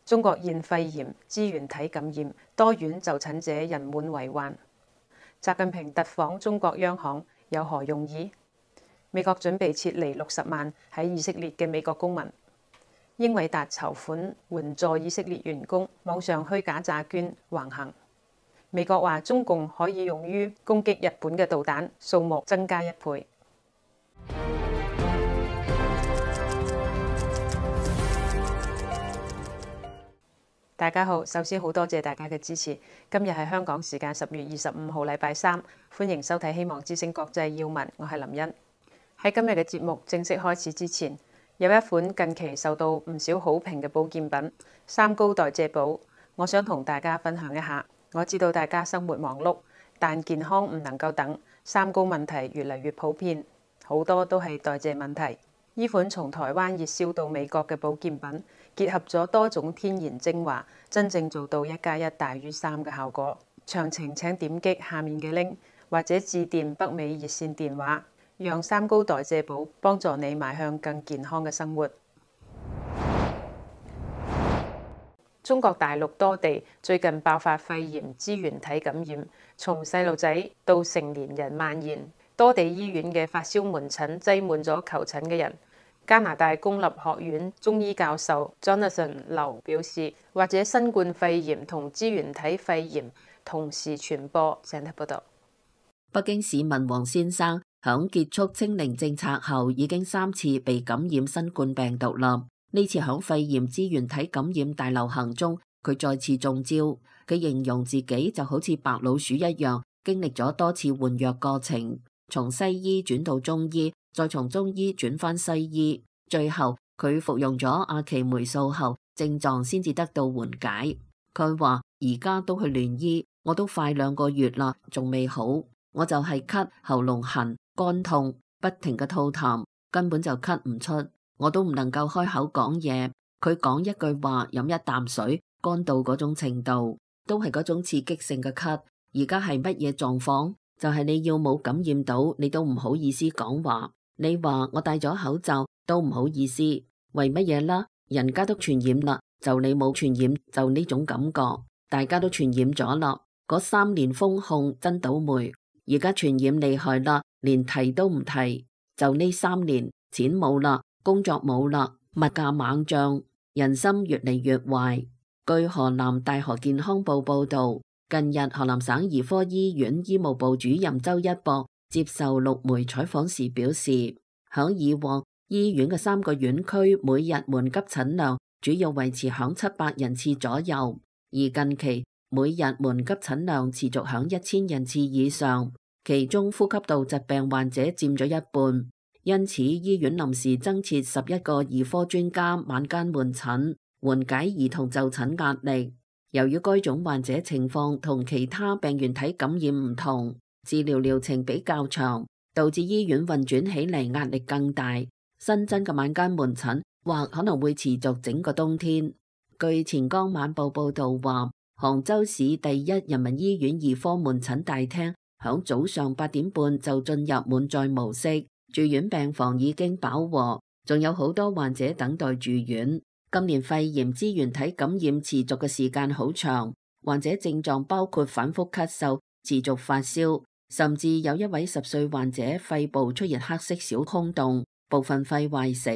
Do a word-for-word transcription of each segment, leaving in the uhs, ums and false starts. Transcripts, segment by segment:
中國現肺炎支原體感染，多院就診者人滿為患。習近平特訪中國央行有何用意？美國準備撤離六十萬喺以色列嘅美國公民。英偉達籌款援助以色列員工，網上虛假詐捐橫行。美國話中共可以用於攻擊日本嘅導彈數目增加一倍。大家好，首先好多謝大家嘅支持。今日係香港時間十月二十五號，禮拜三，歡迎收睇《希望之聲國際要聞》，我係林茵。喺今日嘅節目正式開始之前，有一款近期受到唔少好評嘅保健品三高代謝寶，我想同大家分享一下。我知道大家生活忙碌，但健康唔能夠等，三高問題越嚟越普遍，好多都係代謝問題。呢款從台灣熱銷到美國嘅保健品，結合咗多種天然精華，真正做到一加一大於三嘅效果。詳情請點擊下面嘅 link， 或者致電北美熱線電話，讓三高代謝寶幫助你邁向更健康嘅生活。中國大陸多地最近爆發肺炎支原體感染，從細路仔到成年人蔓延。多地醫院嘅發燒門診擠滿咗求診嘅人。加拿大公立學院中醫教授 Jonathan 劉表示，或者新冠肺炎同支原體肺炎同時傳播。請睇報道。北京市民黃先生響結束清零政策後，已經三次被感染新冠病毒啦。呢次響肺炎支原體感染大流行中，佢再次中招。佢形容自己就好似白老鼠一樣，經歷咗多次換藥過程。從西醫轉到中醫，再從中醫轉返西醫，最後佢服用咗阿奇霉素後，症狀先至得到緩解。佢話而家都去聯醫，我都快兩個月啦，仲未好，我就係咳、喉嚨痕、肝痛，不停嘅吐痰，根本就咳唔出，我都唔能夠開口講嘢。佢講一句話，飲一啖水，乾到嗰種程度，都係嗰種刺激性嘅咳。而家係乜嘢狀況？就係你要冇感染到，你都唔好意思講話。你話我戴咗口罩都唔好意思，為乜嘢啦？人家都傳染啦，就你冇傳染，就呢種感覺。大家都傳染咗啦，嗰三年封控真倒霉，而家傳染厲害啦，連提都唔提。就呢三年，錢冇啦，工作冇啦，物價猛漲，人心越嚟越壞。據河南大學健康報報道，近日，河南省兒科醫院醫務部主任周一博接受陸媒採訪時表示，響以往醫院嘅三個院區每日門急診量主要維持響七百人次左右，而近期每日門急診量持續響一千人次以上，其中呼吸道疾病患者佔咗一半，因此醫院臨時增設十一個兒科專家晚間門診，緩解兒童就診壓力。由於該種患者情況同其他病原體感染唔同，治療療程比較長，導致醫院運轉起嚟壓力更大。新增嘅晚間門診或可能會持續整個冬天。據錢江晚報報道話，杭州市第一人民醫院兒科門診大廳響早上八點半就進入滿載模式，住院病房已經飽和，仲有好多患者等待住院。今年肺炎支原體感染持續嘅時間好長，患者症狀包括反覆咳嗽、持續發燒，甚至有一位十歲患者肺部出現黑色小空洞，部分肺壞死。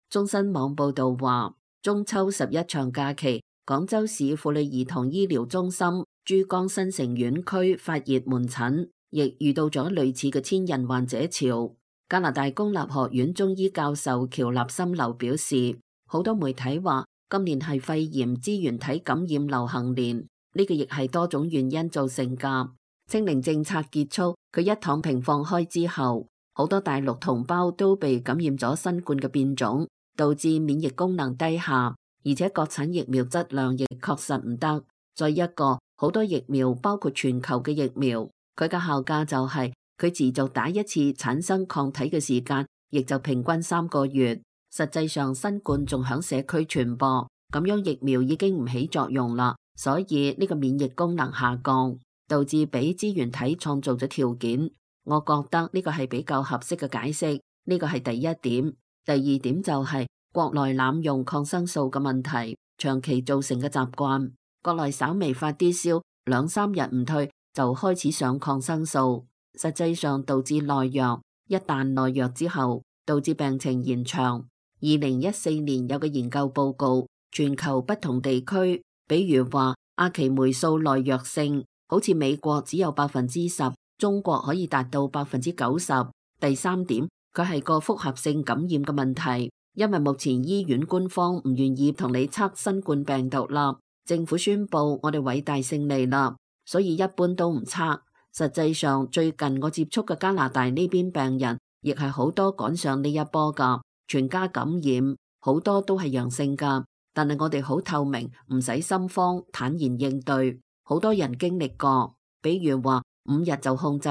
中新網報道話，中秋十一長假期，廣州市婦女兒童醫療中心珠江新城院區發熱門診，亦遇到咗類似嘅千人患者潮。加拿大公立學院中醫教授喬立森劉表示，好多媒體話今年係肺炎支原體感染流行年，呢個亦係多種原因造成噶。清零政策結束，佢一躺平放開之後，好多大陸同胞都被感染咗新冠嘅變種，導致免疫功能低下，而且國產疫苗質量亦確實唔得。再一個，好多疫苗包括全球嘅疫苗，佢嘅效價就係佢持續打一次產生抗體嘅時間，亦就平均三個月。實際上新冠仲響社區傳播，咁樣疫苗已經唔起作用啦，所以呢個免疫功能下降，導致俾支原體創造咗條件。我覺得呢個係比較合適嘅解釋，呢個係第一點。第二點就係國內濫用抗生素嘅問題。長期造成嘅習慣。國內稍微發啲燒，兩三日唔退就開始上抗生素，實際上導致內弱。一旦內弱之後，導致病情延長。二零一四年有個研究報告，全球不同地區，比如話阿奇霉素耐藥性，好似美國只有百分之十，中國可以達到百分之九十。第三點，佢係個複合性感染嘅問題，因為目前醫院官方唔願意同你測新冠病毒啦，政府宣布我哋偉大勝利啦，所以一般都唔測。實際上，最近我接觸嘅加拿大呢邊病人，亦係好多趕上呢一波噶，全家感染，好多都係陽性噶。但係我哋好透明，唔使心慌，坦然應對。好多人經歷過，比如話五日就控制，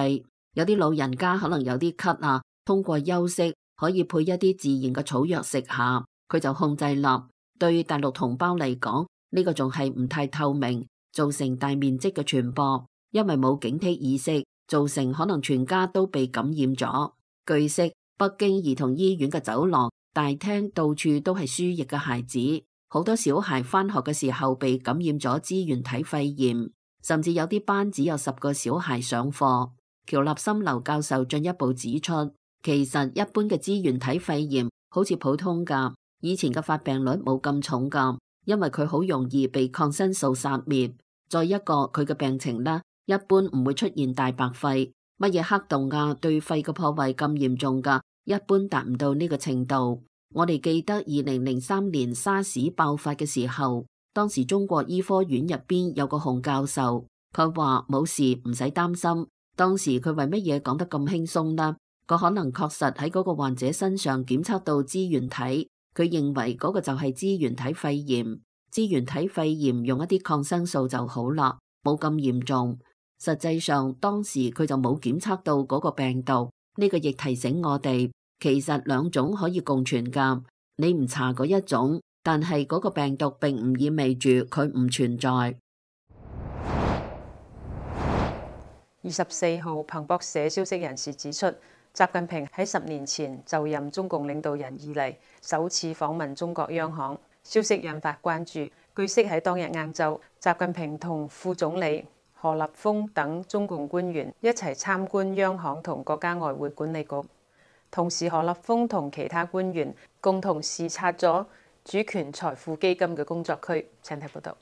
有啲老人家可能有啲咳啊，通過休息可以配一啲自然嘅草藥食下，佢就控制啦。對大陸同胞嚟講，呢個仲係唔太透明，造成大面積嘅傳播。因為冇警惕意識，造成可能全家都被感染咗。據悉，北京兒童醫院嘅走廊、大廳到處都係輸液嘅孩子，好多小孩返學嘅時候被感染咗支原體肺炎，甚至有啲班只有十個小孩上課。喬立森劉教授進一步指出，其實一般嘅支原體肺炎好似普通噶，以前嘅發病率冇咁重噶，因為佢好容易被抗生素殺滅。再一個，佢嘅病情呢，一般唔會出現大白肺，乜嘢黑洞啊，對肺嘅破壞咁嚴重噶，一般達唔到呢個程度。我哋記得二零零三年沙士爆發嘅時候，當時中國醫科院入邊有個洪教授，佢話冇事，唔使擔心。當時佢為乜嘢講得咁輕鬆呢？佢可能確實喺嗰個患者身上檢測到支原體，佢認為嗰個就係支原體肺炎。支原體肺炎用一啲抗生素就好啦，冇咁嚴重。實際上當時佢就冇檢測到嗰個病毒，呢個亦提醒我哋，其實兩種可以共存噶。你唔查嗰一種，但係嗰個病毒並唔意味住佢唔存在。二十四號，彭博社消息人士指出，習近平喺十年前就任中共領導人以嚟首次訪問中國央行，消息引發關注。據悉喺當日晏晝，習近平同副總理何立峰等中共官員一齊參觀央行同國家外匯管理局，同時何立峰同其他官員共同視察咗主權財富基金嘅工作區。請睇報道。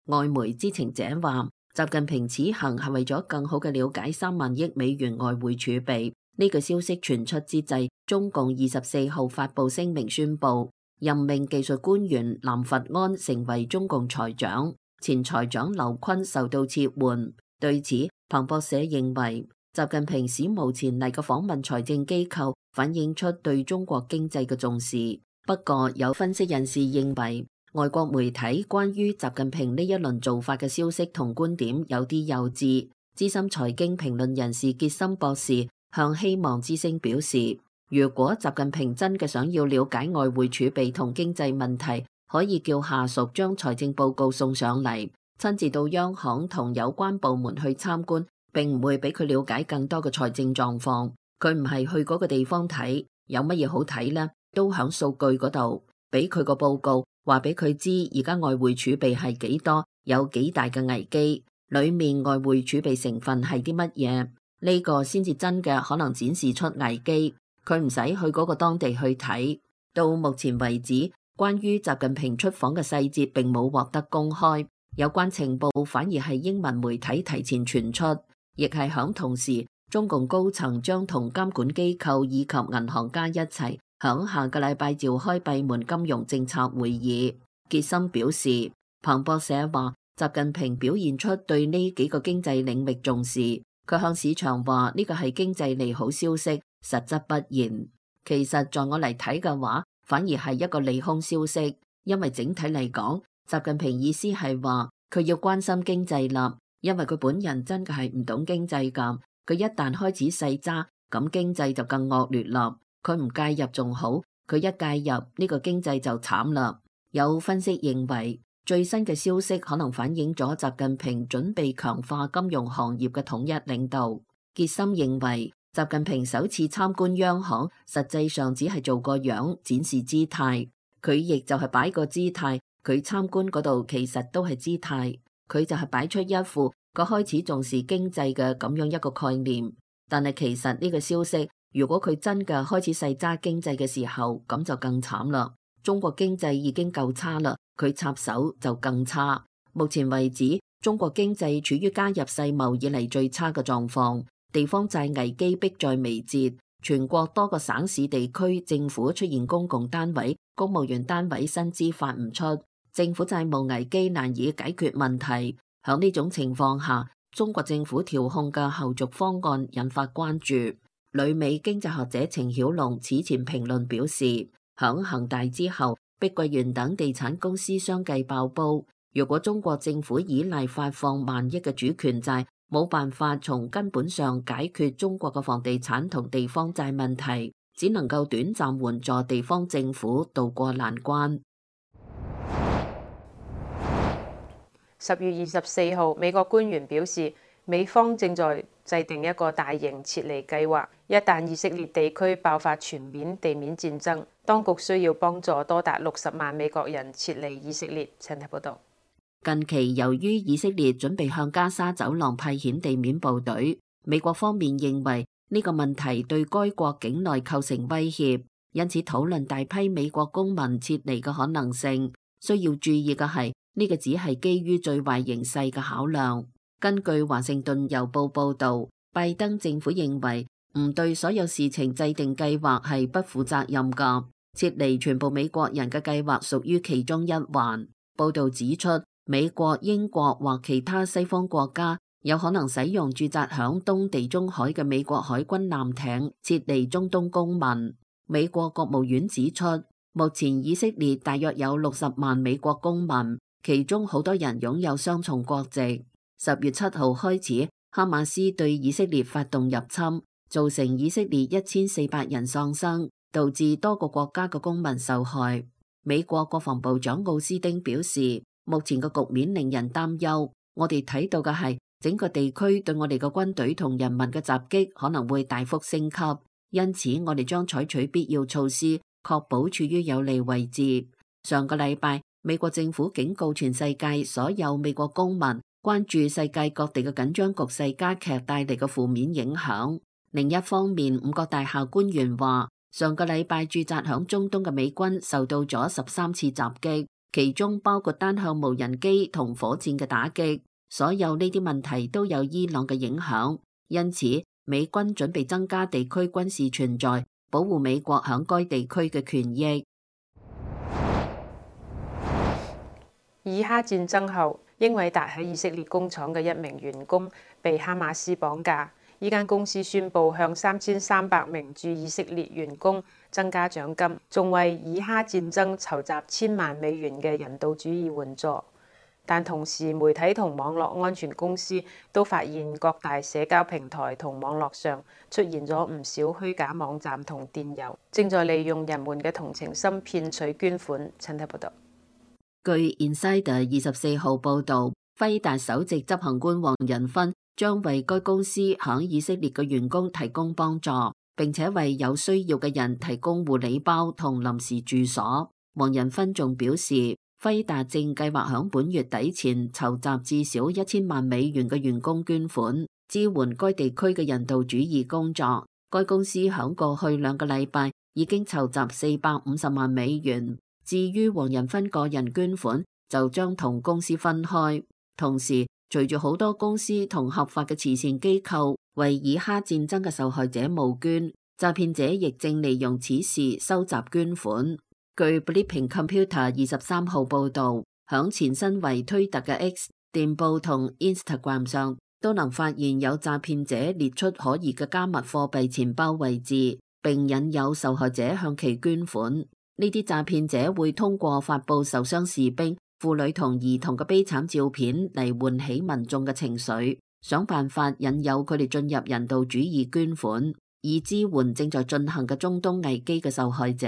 外媒知情者話，習近平此行係為咗更好嘅了解三萬億美元外匯儲備。呢個消息傳出之際，中共二十四號發布聲明宣布，任命技術官員藍佛安成為中共財長，前財長劉昆受到撤換。對此，彭博社認為，習近平史無前例嘅訪問財政機構，反映出對中國經濟嘅重視。不過，有分析人士認為，外國媒體關於習近平呢一輪做法嘅消息同觀點有啲幼稚。資深財經評論人士傑森博士向希望之聲表示，如果習近平真嘅想要了解外匯儲備同經濟問題，可以叫下屬將財政報告送上嚟，親自到央行同有關部門去參觀，並唔會俾佢了解更多嘅財政狀況。佢唔係去嗰個地方睇，有乜嘢好睇呢？都響數據嗰度，俾佢個報告，話俾佢知而家外匯儲備係幾多，有幾大嘅危機，裏面外匯儲備成分係啲乜嘢？呢個先至真嘅可能展示出危機。佢唔使去嗰個當地去睇。到目前為止，關於習近平出訪嘅細節並冇獲得公開，有關情報反而係英文媒體提前傳出，亦係響同時，中共高層將同監管機構以及銀行家一齊響下個禮拜召開閉門金融政策會議。傑森表示，彭博社話習近平表現出對呢幾個經濟領域重視。佢向市場話呢個係經濟利好消息，實則不然。其實在我嚟睇嘅話，反而係一個利空消息，因為整體嚟講，習近平意思係話佢要關心經濟啦，因為佢本人真嘅係唔懂經濟㗎。佢一旦開始細揸，咁經濟就更惡劣啦。佢唔介入仲好，佢一介入呢個經濟就慘啦。有分析認為，最新嘅消息可能反映咗習近平準備強化金融行業嘅統一領導。傑森認為，習近平首次參觀央行，實際上只係做個樣，展示姿態。佢亦就係擺個姿態，佢參觀嗰度其實都係姿態，佢就係擺出一副佢開始重視經濟嘅咁樣一個概念。但係其實呢個消息，如果佢真嘅開始細揸經濟嘅時候，咁就更慘啦。中國經濟已經夠差啦，佢插手就更差。目前為止，中國經濟處於加入世貿以嚟最差嘅狀況，地方債危機迫在眉睫。全國多個省市地區政府出現公共單位、公務員單位薪資發唔出，政府債務危機難以解決問題。響呢種情況下，中國政府調控嘅後續方案引發關注。旅美經濟學者程曉龍此前評論表示，響恒大之後，碧桂園等地產公司相繼爆煲。如果中國政府依賴發放萬億嘅主權債，冇辦法從根本上解決中國嘅房地產同地方債問題，只能夠短暫援助地方政府渡過難關。十月二十四號，美國官員表示，美方正在制定一個大型撤離計劃，一旦以色列地區爆發全面地面戰爭，當局需要幫助多達六十萬美國人撤離以色列。請睇報道。近期由於以色列準備向加沙走廊派遣地面部隊，美國方面認為呢個問題對該國境內構成威脅，因此討論大批美國公民撤離嘅可能性。需要注意嘅係，呢個只係基於最壞形勢嘅考量。根據華盛頓郵報報導，拜登政府認為唔對所有事情制定計劃係不負責任㗎，撤離全部美國人嘅計劃屬於其中一環。報導指出，美國、英國或其他西方國家有可能使用駐紮響東地中海嘅美國海軍艦艇撤離中東公民。美國國務院指出，目前以色列大約有六十萬美國公民，其中好多人擁有雙重國籍。十月七號開始，哈馬斯對以色列發動入侵，造成以色列一千四百人喪生，導致多個國家嘅公民受害。美國國防部長奧斯丁表示，目前嘅局面令人擔憂，我哋睇到嘅係整個地區對我哋嘅軍隊同人民嘅襲擊可能會大幅升級，因此我哋將採取必要措施，確保處於有利位置。上個禮拜，美國政府警告全世界所有美國公民，關注世界各地嘅緊張局勢加劇帶嚟嘅負面影響。另一方面，五角大廈官員話，上個禮拜駐紮響中東嘅美軍受到咗十三次襲擊。其中包括單向無人機同火箭嘅打擊，所有呢啲問題都有伊朗嘅影響，因此美軍準備增加地區軍事存在，保護美國響該地區嘅權益。以哈戰爭後，英偉達喺以色列工廠嘅一名員工被哈馬斯綁架。呢間公司宣布向三千三百名駐以色列員工增加獎金，仲為以哈戰爭籌集千萬美元嘅人道主義援助。但同時，媒體同網絡安全公司都發現各大社交平台同網絡上出現咗唔少虛假網站同電郵，正在利用人們嘅同情心騙取捐款。請睇報道。據 Insider 二十四號報導，輝達首席執行官黃仁勳將為該公司響以色列嘅員工提供幫助，並且為有需要嘅人提供護理包同臨時住所。黃仁勳仲表示，輝達正計劃響本月底前籌集至少一千萬美元嘅員工捐款，支援該地區嘅人道主義工作。該公司響過去兩個禮拜已經籌集四百五十萬美元。至於黃仁勳個人捐款，就將同公司分開。同時，隨住好多公司同合法嘅慈善機構為以哈戰爭嘅受害者募捐，詐騙者亦正利用此事收集捐款。據 Blipping Computer 二十三號報導，響前身為推特嘅 X、電報同 Instagram 上都能發現有詐騙者列出可疑嘅加密貨幣錢包位置，並引誘受害者向其捐款。呢啲詐騙者會通過發佈受傷士兵、婦女同兒童嘅悲慘照片嚟喚起民眾嘅情緒，想辦法引誘佢哋進入人道主義捐款，以支援正在進行嘅中東危機嘅受害者。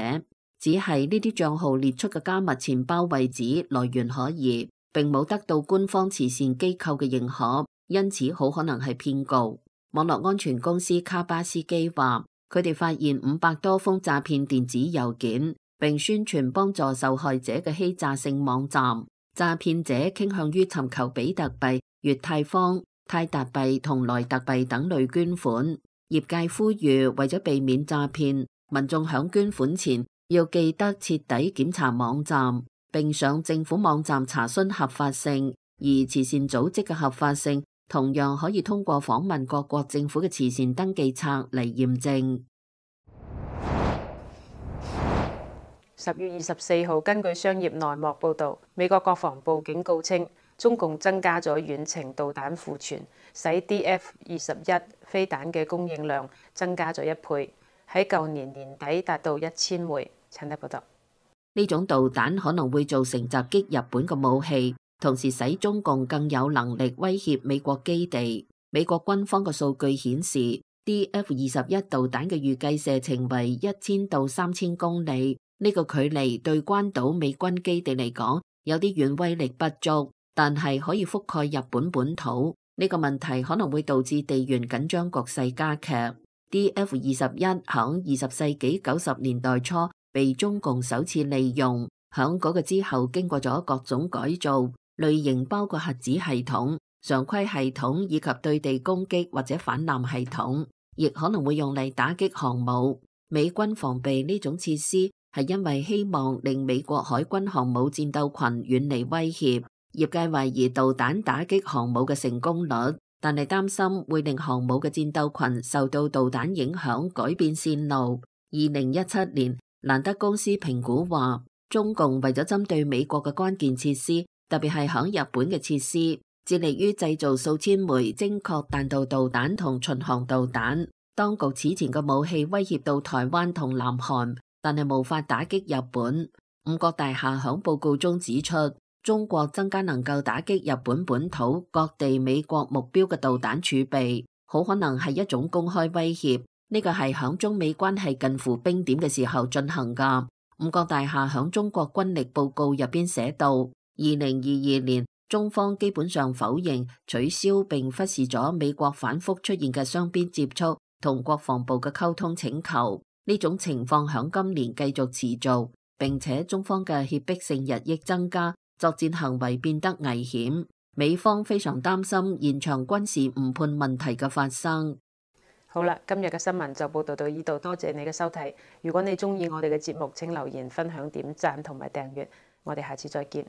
只係呢啲賬號列出嘅加密錢包位置來源可疑，並冇得到官方慈善機構嘅認可，因此好可能係騙局。網絡安全公司卡巴斯基話，佢哋發現五百多封詐騙電子郵件，並宣傳幫助受害者嘅欺詐性網站。詐騙者傾向於尋求比特幣、越泰坊、泰達幣同萊特幣等類捐款。業界呼籲為咗避免詐騙，民眾響捐款前要記得徹底檢查網站，並上政府網站查詢合法性。而慈善組織嘅合法性同樣可以通過訪問各國政府嘅慈善登記冊嚟驗證。十月二十四號，根據商業內幕報導，美國國防部警告稱，中共增加咗遠程導彈庫存，使 D F 二十一飛彈嘅供應量增加咗一倍，喺舊年年底達到一千枚。陳德報道，呢種導彈可能會造成襲擊日本嘅武器，同時使中共更有能力威脅美國基地。美國軍方嘅數據顯示 ，D F 二十一導彈嘅預計射程為一千到三千公里。呢個距離對關島美軍基地嚟講有啲遠，威力不足，但係可以覆蓋日本本土。呢個問題可能會導致地緣緊張局勢加劇。D F 二十一響二十世紀九十年代初被中共首次利用，響嗰個之後經過咗各種改造，類型包括核子系統、常規系統以及對地攻擊或者反艦系統，亦可能會用嚟打擊航母。美軍防備呢種設施，係因為希望令美國海軍航母戰鬥群遠離威脅。業界懷疑導彈打擊航母嘅成功率，但係擔心會令航母嘅戰鬥群受到導彈影響，改變線路。二零一七年，蘭德公司評估話，中共為咗針對美國嘅關鍵設施，特別係響日本嘅設施，致力於製造數千枚精確彈道導彈同巡航導彈。當局此前嘅武器威脅到台灣同南韓，但係無法打擊日本。五角大廈響報告中指出，中國增加能夠打擊日本本土各地美國目標嘅導彈儲備，好可能係一種公開威脅。呢個係響中美關係近乎冰點嘅時候進行噶。五角大廈響中國軍力報告入邊寫到，二零二二年中方基本上否認、取消並忽視咗美國反覆出現嘅雙邊接觸同國防部嘅溝通請求。呢種情況響今年繼續持續，並且中方嘅脅迫性日益增加，作戰行為變得危險。美方非常擔心現場軍事誤判問題嘅發生。好啦，今日嘅新聞就報道到呢度，多謝你嘅收睇。如果你中意我哋嘅節目，請留言、分享、點讚同埋訂閱。我哋下次再見。